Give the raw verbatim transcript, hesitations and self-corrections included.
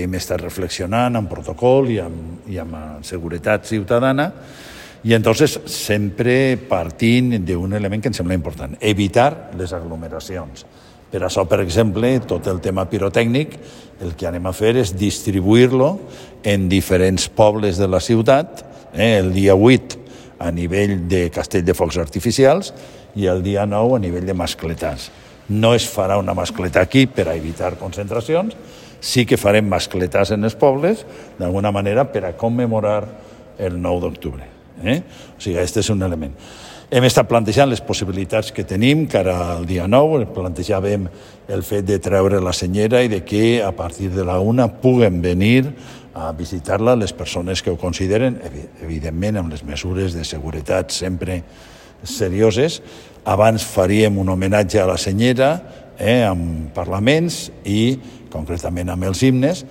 Hem estat reflexionant amb protocol i amb, i amb seguretat ciutadana i entonces sempre partint d'un element que em sembla important, evitar les aglomeracions. Per això, per exemple, tot el tema pirotècnic, el que anem a fer és distribuir-lo en diferents pobles de la ciutat, eh, el dia vuit a nivell de castell de focs artificials i el dia nou a nivell de mascletars. No es farà una mascleta aquí per a evitar concentracions, sí que farem mascletats en els pobles, d'alguna manera, per a commemorar el nou d'octubre. Eh? O sigui, aquest és un element. Hem estat plantejant les possibilitats que tenim cara al dia nou, plantejàvem el fet de treure la senyera i de que a partir de la una puguen venir a visitar-la les persones que ho consideren, evidentment amb les mesures de seguretat sempre serioses. Abans faríem un homenatge a la senyera, eh, amb parlaments i concretament amb els himnes,